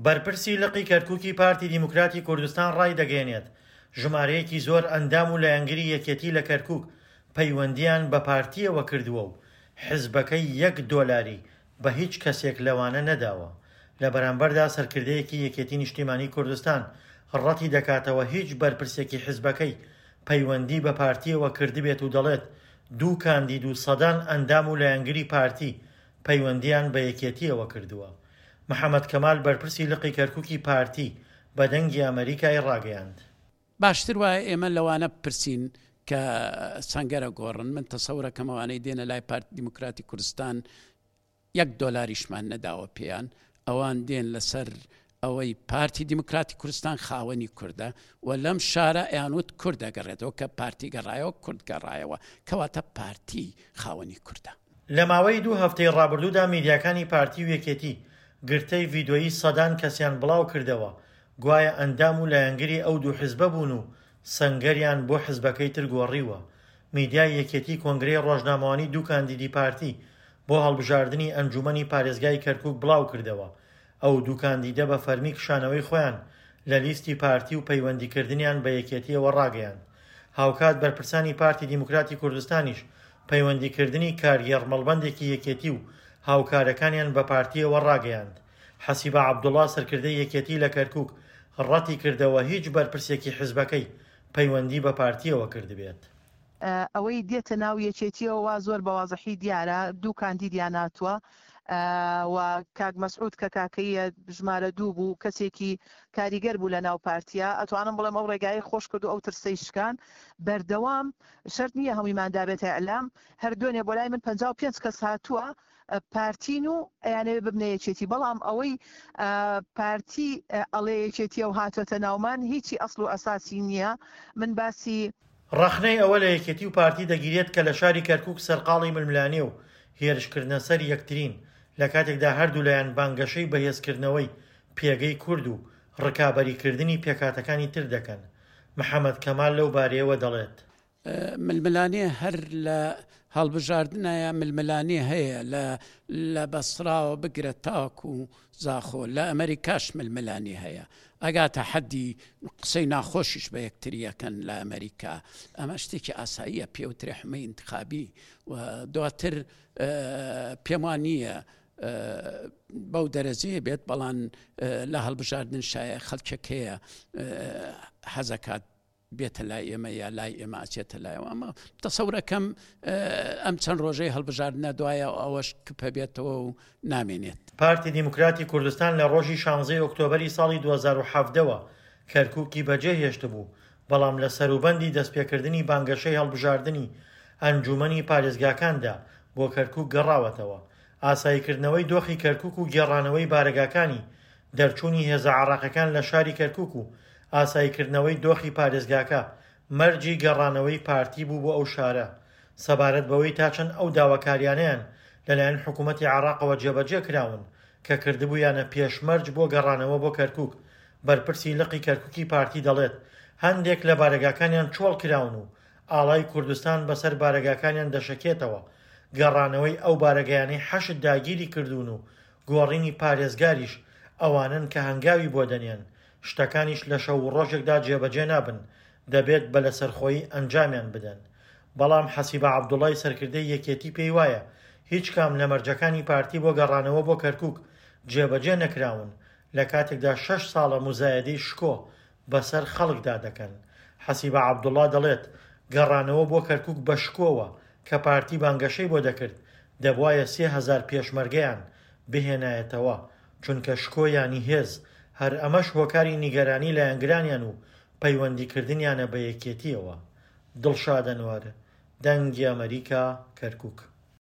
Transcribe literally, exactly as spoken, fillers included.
بەرپرسی لقی کەرکوکی پارتی دیموکراتی کوردستان ڕایدەگەیەنێت، ژمارەیەکی زۆر ئەندام و لایەنگری یەکێتی لە کەرکوک پەیوەندییان بە پارتییەوە کردووە و حزبەکەی یەک دۆلاری بە هیچ کەسێک لەوانە نەداوە. لە بەرامبەردا سەرکردەیەکی یەکێتی نیشتیمانی کوردستان ڕەتی دەکاتەوە هیچ بەرپرسێکی حزبەکەی پەیوەندی بە پارتییەوە کردبێت و دەڵێت دوو کاندید و سەدان ئەندام و لایەنگری پارتی پەیوەندییان بە یەکێتییەوە کردووە. محەمەد کەمال بەرپرسی لقی کەرکوکی پارتی بە دەنگی ئەمەریکای ڕاگەیاند. باشتر وایە ئێمە لەوانە بپرسین کە سەنگەرە گۆڕن، من تەسەورەکەم ئەوانەی دێنە لای پارتی دیموکراتی کوردستان یەک دۆلاریشمان نەداوە پێیان، ئەوان دێن لەسەر ئەوەی پارتی دیموکراتی کوردستان خاوەنی کوردە و لەم شارە ئەیانوت کورد ئەگەڕێتەوە، کە پارتی گەڕایەوە کورد گەڕایەوە، کەواتە پارتی خاوەنی کوردە. لە ماوەی دوو هەفتەی ڕابردوودا میدیاکانی پارتی و یەکێتی گرتەی ڤیدۆیی سەدان کەسیان بڵاوکردەوە گوایە ئەندام و لایەنگری ئەو دوو حزبە بوون و سەنگەریان بۆ حزبەکەی تر گۆڕیوە. میدیای یەکێتی کۆنگرەی ڕۆژنامەوانی دوو کاندیدی پارتی بۆ هەڵبژاردنی ئەنجومەنی پارێزگای کەرکوک بڵاوکردەوە. ئەو دوو کاندیدە بە فەرمی کشانەوەی خۆیان لە لیستی پارتی و پەیوەندیکردنیان بە یەکێتیەوە ڕاگەیاند. هاوکات بەرپرسانی پارتی دیموکراتی کوردستانیش پەیوەندیکردنی کارگێڕ مەڵبەندێکی یەکێتی و هاوکارەکانیان بە پارتیەوە ڕاگەیاند. حەسیبە عەبدوڵا سەرکردەی یەکێتی لە کەرکوک ڕەتی کردەوە هیچ بەرپرسێکی حزبەکەی پەیوەندی بە پارتیەوە کردبێت. ئەوەی دێتە ناو یەکێتیەوە وا زۆر بە وازحی دیارە دوو کاندیدیان هاتووە و کاک مەسعود کە کاکەیە ژمارە دوو بوو کەسێکی کاریگەر بوو لە ناو پارتیا، ئەتوانم بڵێم ئەو ڕێگای خۆش کرد و ئەو ترسەی شکان. بەردەوام شەرت نییە هەموویمان دابێتە ئیعلام، هەر دوێنێ بۆ لای من پەنجا و پێنج کەس هاتووە پارتین و ئەیانەوێ ببنە یەکێتی، بەڵام ئەوەی پارتی ئەڵێ یەکێتیە و هاتۆتە ناومان هیچی ئەسڵ و ئەساسی نییە. من باسی ڕەخنەی ئەوە لە یەکێتی و پارتی دەگیرێت کە لە شاری کەرکوک سەرقاڵی ململانێ و هێرشکردنە سەر یەکترین، لە کاتێکدا هەردوو لایەن بانگەشەی بەهێزکردنەوەی پێگەی کورد و ڕکابەریکردنی پێکهاتەکانی تر دەکەن. محەمەد کەمال لەو بارەیەوە دەڵێت. ململانێ هەر لە هەڵبژاردنایە ململانێ هەیە، لە لە بەسراوە بگرە تاکو زاخۆ، لە ئەمریکاش ململانێ هەیە، ئەگاتە حەدی قسەی ناخۆشیش بە یەکتریەکەن لە ئەمریکا. ئەمە شتێکی ئاساییە، پێوترێ حمەی انتخابی و دواتر پێم وان نییە بەو دەرەجەیە بێت، بەڵام لە هەڵبژاردن شایە خەڵکێک هەیە حەزەکات بێتە لای ئێمە یا لای ئێمە ئەچێتە لایەوە. ئەمە تەسەورەکەم ئەم چەند ڕۆژەی هەڵبژاردنە دوایە ئەوەش کپە بێتەوە و نامێنێت. پارتی دیموکراتی کوردستان لە ڕۆژی شانزەی ئۆکتۆبەری ساڵی دوو هەزار و حەڤدە کەرکوکی بەجێهێشتبوو، بەڵام لە سەروبەندی دەستپێکردنی بانگەشەی هەڵبژاردنی ئەنجومەنی پارێزگاکاندا بۆ کەرکوک گەڕاوەتەوە. ئاساییکردنەوەی دۆخی کەرکوک و گێڕانەوەی بارەگاکانی دەرچوونی هێزە عراقەکان لە شاری کەرکوک و ئاساییکردنەوەی دۆخی پارێزگاکە مەرجی گەڕانەوەی پارتی بوو بۆ ئەو شارە. سەبارەت بەوەی تا چەند ئەو داواکاریانەیان لەلایەن حکوومەتی عراقەوە جێبەجێ کراون کە کردبوویانە پێشمەرج بۆ گەڕانەوە بۆ کەرکوک، بەرپرسی لقی کەرکوکی پارتی دەڵێت هەندێک لە بارەگاکانیان چۆڵ کراون و ئاڵای کوردستان بەسەر بارەگاکانیان دەشەکێتەوە. گەڕانەوەی ئەو بارەگایانەی حەشد داگیری کردوون و گۆڕینی پارێزگاریش ئەوانن کە هەنگاوی بۆ دەنێن، شتەکانیش لە شەو و ڕۆژێکدا جێبەجێ نابن، دەبێت بە لەسەرخۆیی ئەنجامیان بدەن. بەڵام حەسیبە عەبدوڵای سەرکردەی یەکێتی پێی وایە هیچ کام لە مەرجەکانی پارتی بۆ گەڕانەوە بۆ کەرکوک جێبەجێ نەکراون، لە کاتێکدا شەش ساڵە موزایەدەی شکۆ بەسەر خەڵکدا دەکەن. حەسیبە عەبدوڵا دەڵێت گەڕانەوە بۆ کەرکوک بە شکۆوە کە پارتی بانگەشەی بۆ دەکرد دەبوایە سێ هەزار پێشمەرگەیان بهێنایەتەوە، چونکە شکۆ یانی هێز، هەر ئەمەش هۆکاری نیگەرانی لایەنگرانیان و پەیوەندیکردنیانە بە یەکێتیەوە. دڵشاد ئەنوەر، دەنگی ئەمەریکا، کەرکوک.